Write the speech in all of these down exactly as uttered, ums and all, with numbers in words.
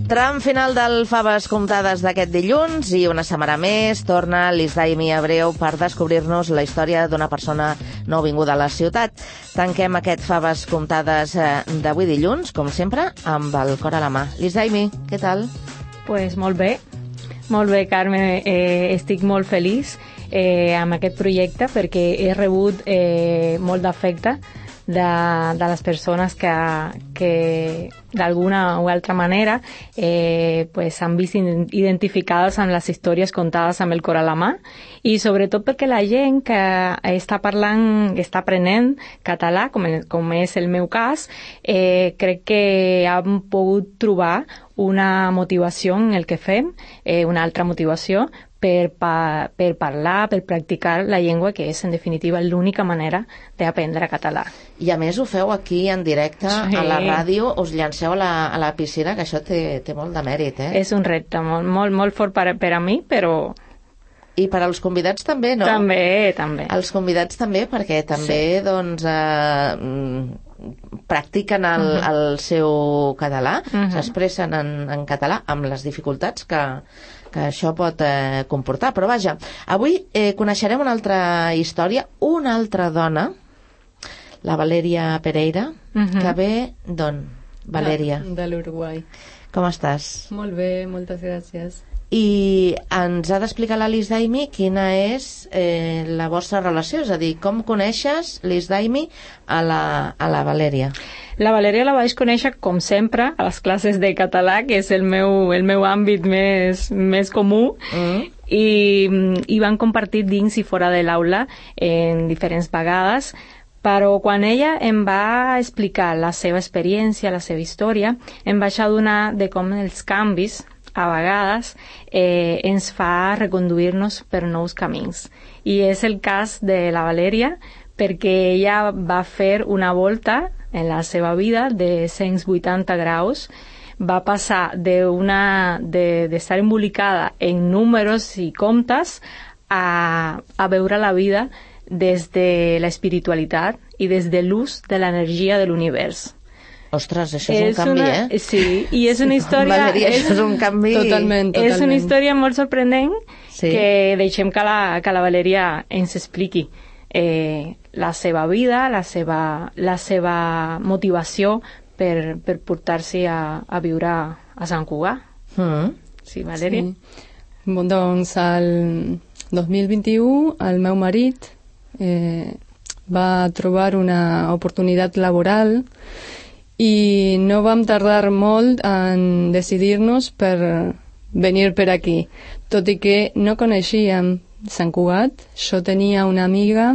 Tram final del Faves Comptades d'aquest dilluns i una setmana més torna l'Isdaimi Abreu per descobrir-nos la història d'una persona nouvinguda a la ciutat. Tanquem aquest Faves Comptades d'avui dilluns, com sempre, amb el cor a la mà. L'Isdaimi, què tal? Pues molt bé, molt bé, Carme. Eh, estic molt feliç eh, amb aquest projecte perquè he rebut eh, molt d'afecte de, de les persones que, que d'alguna o altra manera eh, pues s'han vist identificades amb les històries contades amb el cor a la mà, i sobretot perquè la gent que està parlant, està aprenent català, com, com és el meu cas, eh, crec que han pogut trobar una motivació en el que fem, eh, una altra motivació per, pa, per parlar, per practicar la llengua, que és en definitiva l'única manera d'aprendre català. I a més ho feu aquí en directe, sí, a la ràdio, us llanceu a la, a la piscina, que això té, té molt de mèrit, eh? És un repte molt, molt, molt fort per, per a mi, però... I per als convidats també, no? També, també. Els convidats també, perquè també, sí, doncs, eh, practiquen el, uh-huh. el seu català, uh-huh. s'expressen en, en català, amb les dificultats que, que això pot eh, comportar. Però vaja, avui eh, coneixerem una altra història, una altra dona, la Valèria Pereira, uh-huh. que ve d'on, Valèria? De, de l'Uruguai. Com estàs? Molt bé, moltes gràcies. I ens ha d'explicar la l'Isdaimi quina és eh, la vostra relació, és a dir, com coneixes l'Isdaimi a la, a la Valèria? La Valèria la vaig conèixer, com sempre, a les classes de català, que és el meu, el meu àmbit més, més comú, mm. i, i van compartir dins i fora de l'aula en diferents vegades, però quan ella em va explicar la seva experiència, la seva història, em vaig adonar de com els canvis a vegades eh, ens fa reconduir-nos per nous camins. I és el cas de la Valèria, perquè ella va fer una volta en la seva vida de cent vuitanta graus, va passar d'una, de, d'estar embolicada en números i comptes a, a veure la vida des de l'espiritualitat i des de l'ús de l'energia de l'univers. Ostres, això és, és un canvi, una, eh? Sí, i és una història... Valeria, això és un canvi... Totalment, totalment. És una història molt sorprenent, sí, que deixem que la, que la Valèria ens expliqui eh, la seva vida, la seva, la seva motivació per, per portar-se a, a viure a Sant Cugat. Mm. Sí, Valèria? Sí. Bon, doncs, el dos mil vint-i-u, el meu marit eh, va trobar una oportunitat laboral i no vam tardar molt en decidir-nos per venir per aquí, tot i que no coneixíem Sant Cugat. Jo tenia una amiga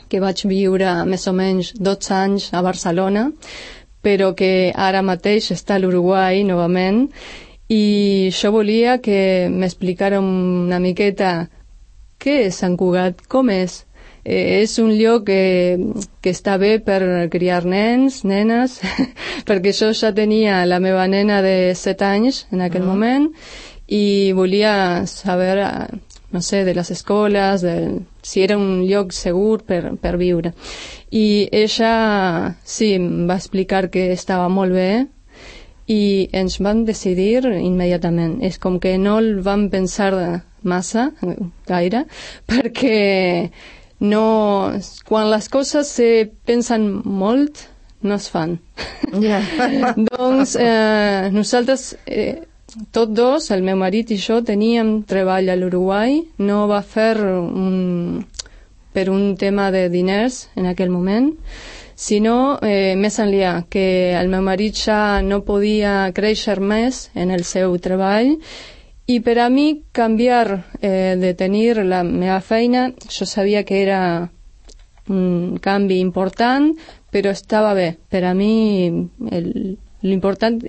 que vaig viure més o menys dotze anys a Barcelona, però que ara mateix està a l'Uruguai novament, i jo volia que m'explicara una miqueta què és Sant Cugat, com és. Eh, és un lloc que, que està bé per criar nens, nenes, perquè jo ja tenia la meva nena de set anys en aquell uh-huh. moment, i volia saber, no sé, de les escoles, de, si era un lloc segur per, per viure. I ella, sí, em va explicar que estava molt bé, i ens vam decidir immediatament. És com que no el vam pensar massa, gaire, perquè no, quan les coses se pensen molt, no es fan. Yeah. Doncs eh, nosaltres, eh, tots dos, el meu marit i jo, teníem treball a l'Uruguai. No va fer un, per un tema de diners en aquell moment, sinó eh, més enllà, que el meu marit ja no podia créixer més en el seu treball. I per a mi canviar eh, de tenir la meva feina, jo sabia que era un canvi important, però estava bé. Per a mi l'important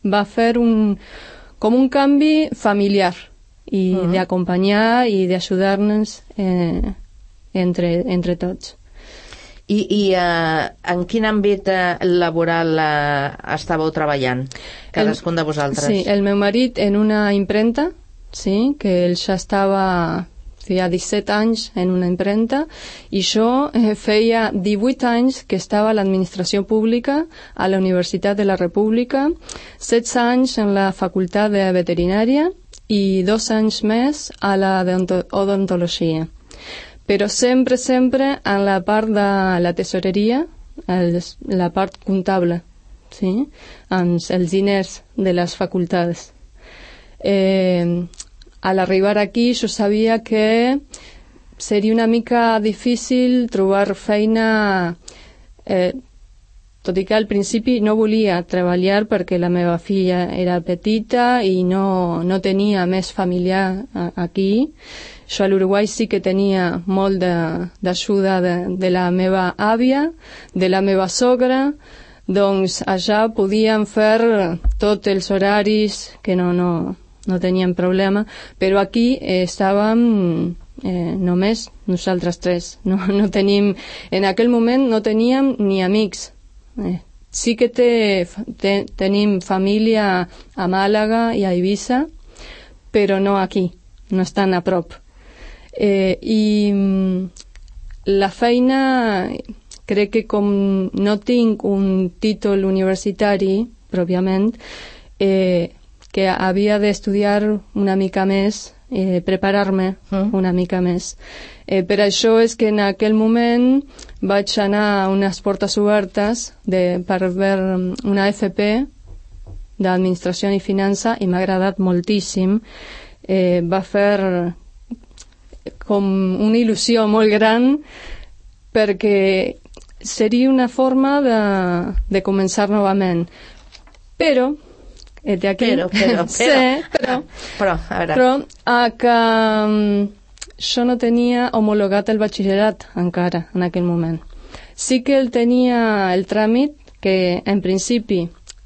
va fer un, com un canvi familiar i uh-huh. d'acompanyar i d'ajudar-nos eh, entre, entre tots. I, i uh, en quin àmbit uh, laboral uh, estàveu treballant, cadascun de vosaltres? Sí, el meu marit en una impremta, sí, que ell ja estava feia disset anys en una impremta, i jo eh, feia divuit anys que estava a l'administració pública a la Universitat de la República, setze anys en la Facultat de Veterinària i dos anys més a la d'odontologia. Però sempre, sempre en la part de la tesoreria, el, la part comptable, sí? Amb els diners de les facultats. Eh, al arribar aquí jo sabia que seria una mica difícil trobar feina, eh, tot i que al principi no volia treballar perquè la meva filla era petita i no, no tenia més familiar aquí. Jo a l'Uruguai sí que tenia molt d'ajuda de, de, de la meva àvia, de la meva sogra, doncs allà podíem fer tots els horaris que no, no, no teníem problema, però aquí eh, estàvem eh, només nosaltres tres. No, no tenim, en aquell moment no teníem ni amics. Eh, sí que té, te, tenim família a Màlaga i a Eivissa, però no aquí, no estan a prop. Eh, I la feina, crec que com no tinc un títol universitari, pròpiament, eh, que havia d'estudiar una mica més, eh, preparar-me mm. una mica més. Eh, per això és que en aquell moment vaig anar a unes portes obertes de, per veure una F P d'Administració i Finança i m'ha agradat moltíssim. Eh, va fer com una il·lusió molt gran perquè seria una forma de, de començar novament. Però eh, de aquí, però, però, però, sí, però, però, a veure. però a que um, jo no tenia homologat el batxillerat encara en aquell moment. Sí que el tenia el tràmit, que en principi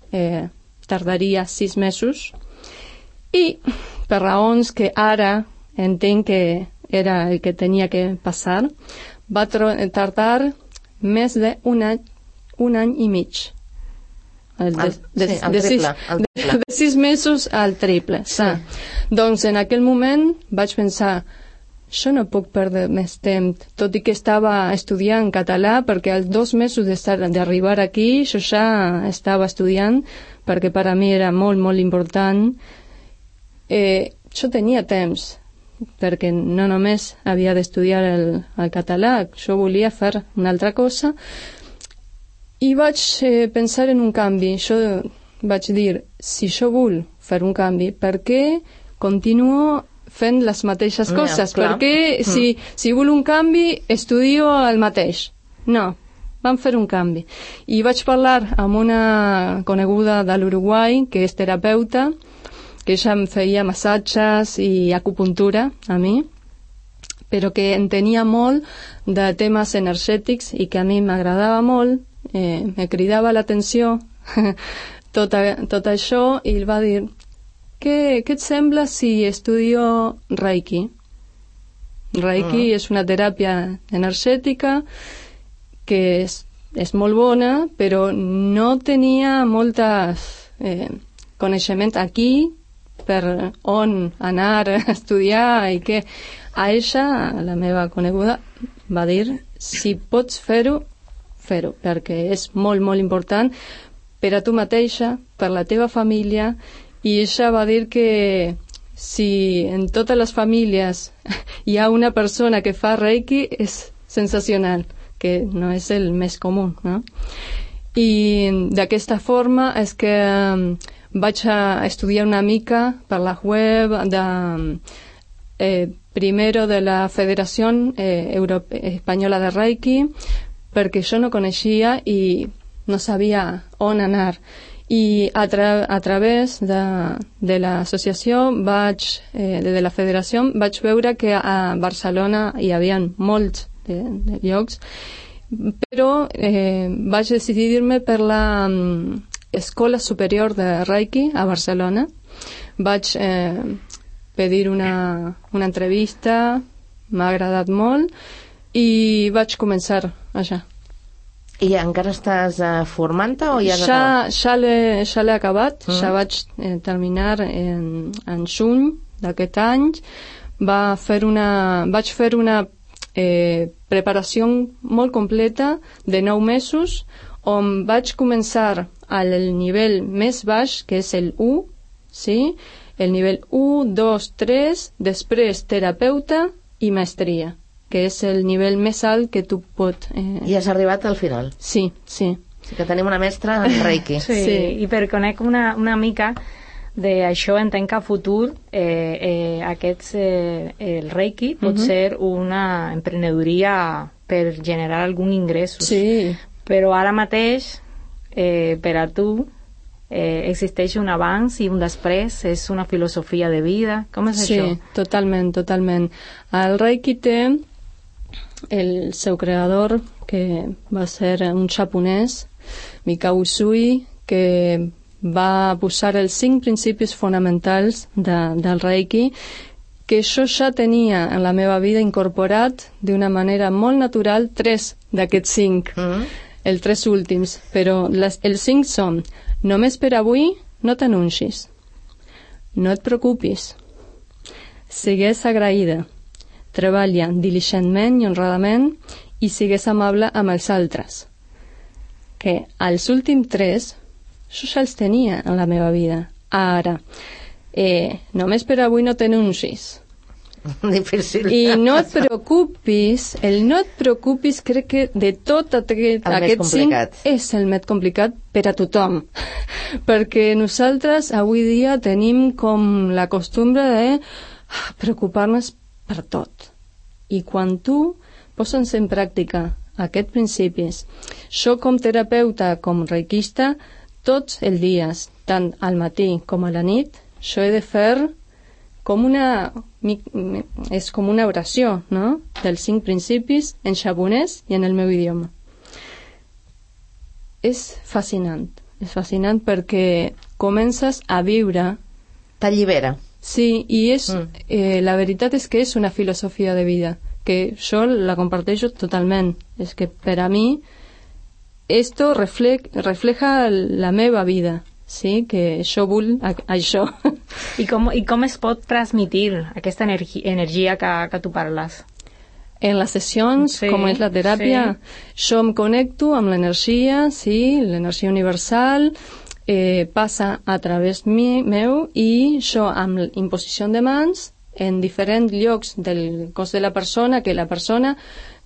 eh, tardaria sis mesos, i per raons que ara entenc que era el que tenia que passar, va tardar més d'un any, un any i mig. El de, de, sí, el de, triple, sis, el triple. De, de sis mesos al triple. Sí. Doncs en aquell moment vaig pensar, jo no puc perdre més temps, tot i que estava estudiant català, perquè als dos mesos d'arribar aquí jo ja estava estudiant, perquè per a mi era molt, molt important. Eh, jo tenia temps, perquè no només havia d'estudiar el, el català, jo volia fer una altra cosa, i vaig eh, pensar en un canvi. Jo vaig dir, si jo vull fer un canvi, per què continuo fent les mateixes coses? Ja, perquè mm. si, si vull un canvi, estudio el mateix. No, vam fer un canvi. I vaig parlar amb una coneguda de l'Uruguai, que és terapeuta, que ja em feia massatges i acupuntura a mi, però que entenia molt de temes energètics i que a mi m'agradava molt, eh, me cridava l'atenció tot, a, tot això, i ell va dir, què, què et sembla si estudio Reiki? Reiki uh-huh. és una teràpia energètica que és, és molt bona, però no tenia moltes eh, coneixement aquí per on anar a estudiar, i que a ella, la meva coneguda, va dir, si pots fer-ho, fer-ho, perquè és molt, molt important per a tu mateixa, per la teva família. I ella va dir que si en totes les famílies hi ha una persona que fa Reiki, és sensacional, que no és el més comú, no? I d'aquesta forma és que vaig a estudiar una mica per la web de, eh, primero de la Federació eh, Europe- Espanyola de Reiki, perquè jo no coneixia i no sabia on anar. I a, tra a través de, de l'associació, vaig, eh, de la federació, vaig veure que a Barcelona hi havia molts de, de llocs, però eh, vaig decidir-me per la um, Escola Superior de Reiki a Barcelona. Vaig eh, pedir una, una entrevista, m'ha agradat molt, i vaig començar allà. I encara estàs uh, formant-te o ja has ja, acabat? Ja l'he ja acabat, mm. ja vaig eh, terminar en, en juny d'aquest any, va fer una, vaig fer una eh, preparació molt completa de nou mesos, on vaig començar al nivell més baix, que és el u, sí? El nivell u, dos, tres, després terapeuta i maestria, que és el nivell més alt que tu pot... Eh... I has arribat al final. Sí, sí. Sí que tenim una mestra en Reiki. Sí, sí. I per conèixer una, una mica d'això, entenc que a futur eh, eh, aquests, eh, el Reiki pot uh-huh. ser una emprenedoria per generar algun ingrés. Sí. Però ara mateix, eh, per a tu, eh, existeix un abans i un després, és una filosofia de vida. Com és sí, això? Sí, totalment, totalment. El Reiki té el seu creador, que va ser un japonès, Mikao Usui, que va posar els cinc principis fonamentals de, del Reiki, que jo ja tenia en la meva vida incorporat d'una manera molt natural tres d'aquests cinc, mm. els tres últims, però les, els cinc són: només per avui no t'anuncis, no et preocupis, sigues agraïda, treballa diligentment i honradament i sigues amable amb els altres. Que els últims tres jo ja els tenia en la meva vida. Ara, eh, només per avui no t'anuncis. Difícil. I no et preocupis, el no et preocupis crec que de tot aquest, aquest cinc és el més complicat per a tothom. Perquè nosaltres avui dia tenim com la costumbre de preocupar-nos per tot. I quan tu poses en pràctica aquests principis, jo com terapeuta, com reikista, tots els dies, tant al matí com a la nit, jo he de fer com una, és com una oració, no?, dels cinc principis en japonès i en el meu idioma. És fascinant, és fascinant perquè comences a viure... T'allibera. Sí, i és, mm. eh, la veritat és que és una filosofia de vida, que jo la comparteixo totalment. És que per a mi esto refle- refleja la meva vida, sí? Que jo vull a- això. I com, I com es pot transmitir aquesta energi- energia que, que tu parles? En les sessions, sí, com és la teràpia, sí. Jo em connecto amb l'energia, sí, l'energia universal, eh, passa a través mi, meu, i jo amb imposició de mans en diferents llocs del cos de la persona, que la persona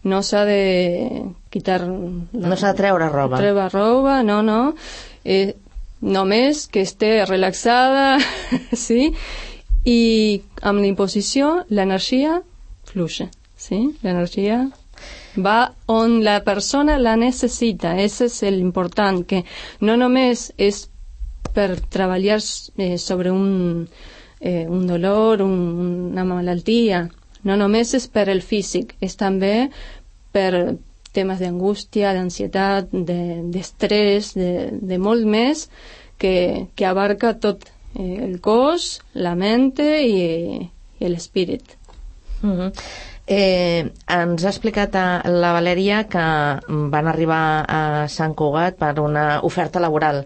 no s'ha de quitar... La, no s'ha de treure roba. Treure roba, no, no. Eh, només que esté relaxada, sí? I amb l'imposició l'energia fluye, sí? L'energia va on la persona la necessita. Ese és l'important, que no només és per treballar eh, sobre un... Eh, un dolor, un, una malaltia, no només és per el físic, és també per temes d'angústia, d'ansietat, d'estrès, de, de, de molt més, que, que abarca tot eh, el cos, la mente i, i l'espírit. Mm-hmm. Eh, ens ha explicat a la Valèria que van arribar a Sant Cugat per una oferta laboral,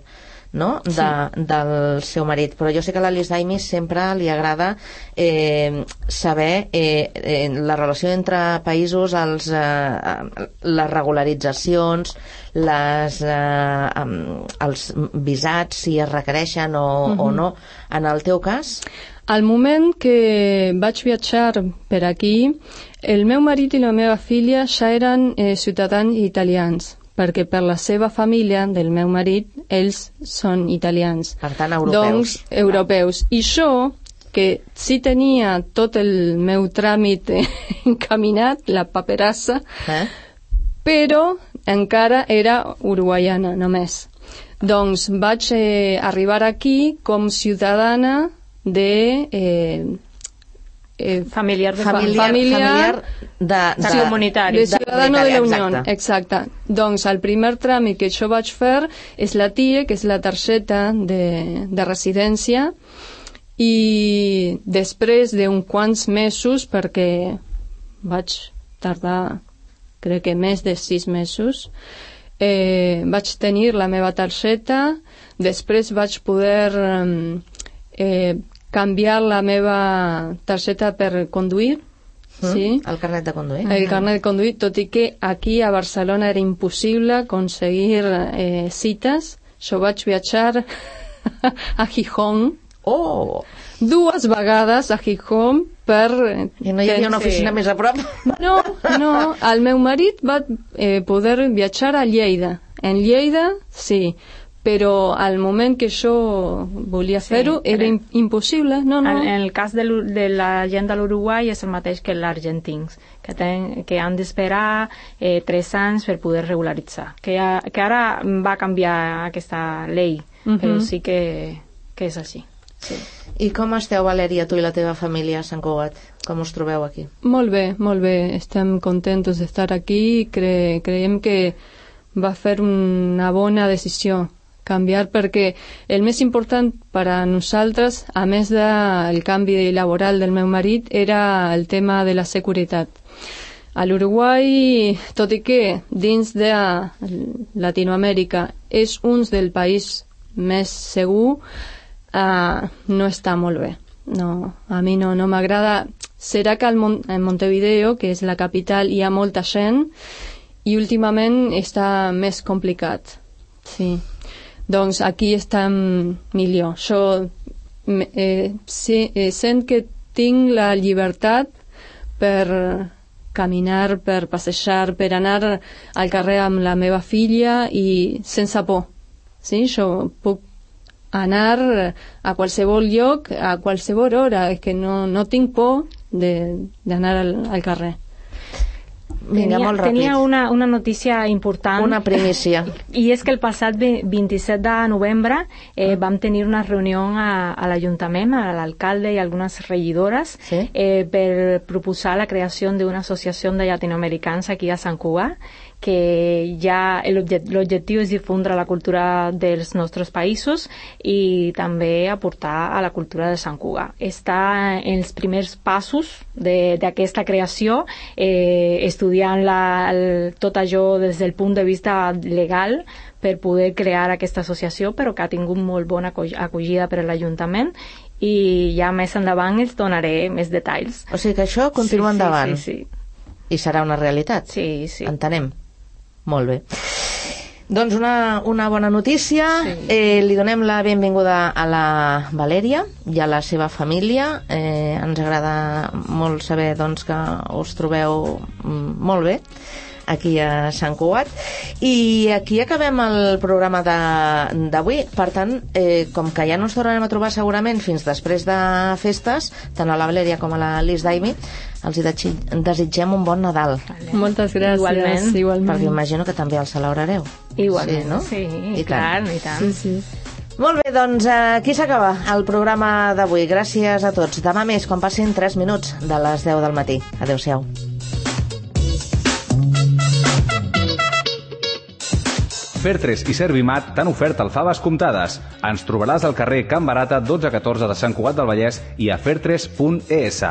no? De, sí. Del seu marit, però jo sé que a l'Alice Daimi sempre li agrada eh, saber eh, eh, la relació entre països, els, eh, les regularitzacions, les, eh, els visats, si es requereixen o, uh-huh. o no. En el teu cas? Al moment que vaig viatjar per aquí, el meu marit i la meva filla ja eren eh, ciutadans italians, perquè per la seva família, del meu marit, ells són italians. Per tant, europeus. Doncs, europeus. I jo, que sí tenia tot el meu tràmit encaminat, la paperassa, eh? Però encara era uruguaiana, només. Doncs vaig eh, arribar aquí com ciutadana de... Eh, Eh, familiar de familiar, familiar, familiar de, de, de comunitari, de ciudadano de la Unió, exacte. exacte. Doncs el primer tràmit que jo vaig fer és la T I E, que és la targeta de, de residència, i després d'uns quants mesos, perquè vaig tardar crec que més de sis mesos, eh, vaig tenir la meva targeta, després vaig poder eh, canviar la meva targeta per conduir, Mm, sí. El carnet de conduir. El carnet de conduir, tot i que aquí a Barcelona era impossible aconseguir eh, cites. Jo vaig viatjar a Gijón. Oh! Dues vegades a Gijón per... I no hi havia una oficina sí. més a prop? No, no. El meu marit va eh, poder viatjar a Lleida. En Lleida, sí. Però al moment que jo volia Sí, fer-ho era però- impossible. No, no. En, en el cas de, l'U- de la gent de l'Uruguai és el mateix que els argentins, que, ten, que han d'esperar eh, tres anys per poder regularitzar. Que, ha, que ara va canviar aquesta llei, Mhm. però sí que, que és així. Sí. I com esteu, Valèria, tu i la teva família a Sant Cugat? Com us trobeu aquí? Molt bé, molt bé. Estem contents d'estar aquí. Cre creiem que va fer una bona decisió canviar, perquè el més important per a nosaltres, a més del canvi laboral del meu marit, era el tema de la seguretat. A l'Uruguai, tot i que dins de Latinoamèrica és un del país més segur, uh, no està molt bé. No, a mi no, no m'agrada. Serà que al Mon en Montevideo, que és la capital, hi ha molta gent i últimament està més complicat. Sí. Doncs aquí estem millor. Jo eh, sí, eh, sent que tinc la llibertat per caminar, per passejar, per anar al carrer amb la meva filla i sense por. Sí, jo puc anar a qualsevol lloc, a qualsevol hora, és que no, no tinc por d'anar al, al carrer. Vinga, tenia, molt ràpid. Tenia una, una notícia important. Una primícia. I és que el passat vint-i-set de novembre eh, vam tenir una reunió a, a l'Ajuntament, a l'alcalde i algunes regidores, Sí. eh, per proposar la creació d'una associació de llatinoamericans aquí a Sant Cugat, que ja l'objectiu és difondre la cultura dels nostres països i també aportar a la cultura de Sant Cugat. Està en els primers passos d'aquesta creació, eh, estudiant la, el, tot això des del punt de vista legal per poder crear aquesta associació, però que ha tingut molt bona acollida per l'Ajuntament i ja més endavant els donaré més detalls. O sigui que això continua sí, endavant. Sí, sí, sí. I serà una realitat. Sí, sí. Entenem. Molt bé. Doncs una, una bona notícia. Sí. Eh, li donem la benvinguda a la Valèria i a la seva família. Eh, ens agrada molt saber doncs, que us trobeu mm, molt bé aquí a Sant Cugat. I aquí acabem el programa d'avui. Per tant, eh, com que ja no ens tornarem a trobar segurament fins després de festes, tant a la Valèria com a la Lis Daimi, els hi desitgem un bon Nadal. Vale. Moltes gràcies. Igualment. Igualment. Perquè imagino que també el celebrareu. Igualment, Sí, no? sí, I clar, tant. i tant. Sí, sí. Molt bé, doncs aquí s'acaba el programa d'avui. Gràcies a tots. Demà més, quan passin tres minuts de les deu del matí. Adéu-siau. Fertres i Servimat t'han ofert alfaves comptades. Ens trobaràs al carrer Can Barata dotze catorze de Sant Cugat del Vallès i a fertres punt es.